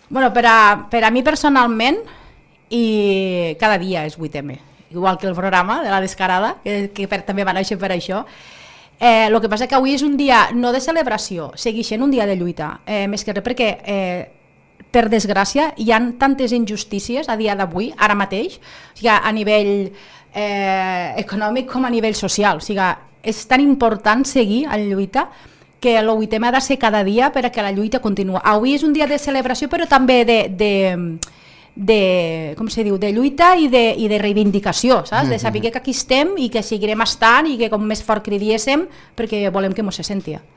Bueno, per a mi personalment, i cada dia és 8M, igual que el programa de la Descarada, que també va néixer per això. El que passa que avui és un dia no de celebració, segueix sent un dia de lluita, més que res perquè, per desgràcia, hi ha tantes injustícies a dia d'avui, ara mateix, o sigui, a nivell econòmic com a nivell social. O sigui, és tan important seguir en lluita que el 8M ha de ser cada dia perquè la lluita continua. Avui és un dia de celebració, però també com se diu, de lluita i de reivindicació, saps? De saber que aquí estem i que seguirem estant i que com més fort cridiéssim perquè volem que mos se sentia.